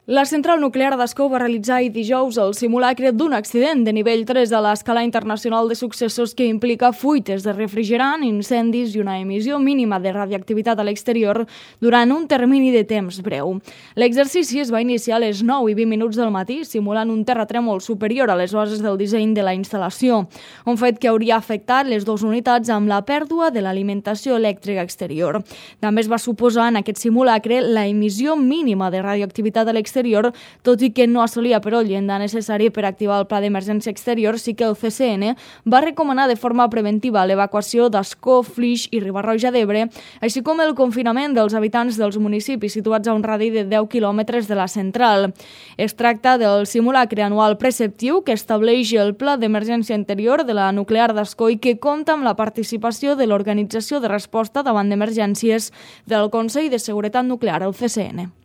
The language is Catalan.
La central nuclear d'Ascó va realitzar ahir dijous el simulacre d'un accident de nivell 3 a l'escala internacional de successos que implica fuites de refrigerant, incendis i una emissió mínima de radioactivitat a l'exterior durant un termini de temps breu. L'exercici es va iniciar a les 9:20 del matí, simulant un terratrèmol superior a les bases del disseny de la instal·lació, un fet que hauria afectat les dues unitats amb la pèrdua de l'alimentació elèctrica exterior. També es va suposar en aquest simulacre la emissió mínima de radioactivitat a l'exterior, tot i que no assolia però el llindar necessari per activar el pla d'emergència exterior, sí que el CCN va recomanar de forma preventiva l'evacuació d'Ascó, Flix i Riba-roja d'Ebre, així com el confinament dels habitants dels municipis situats a un radi de 10 quilòmetres de la central. Es tracta del simulacre anual preceptiu que estableix el pla d'emergència interior de la nuclear d'Ascó i que compta amb la participació de l'Organització de Resposta davant d'Emergències del Consell de Seguretat Nuclear, el CCN.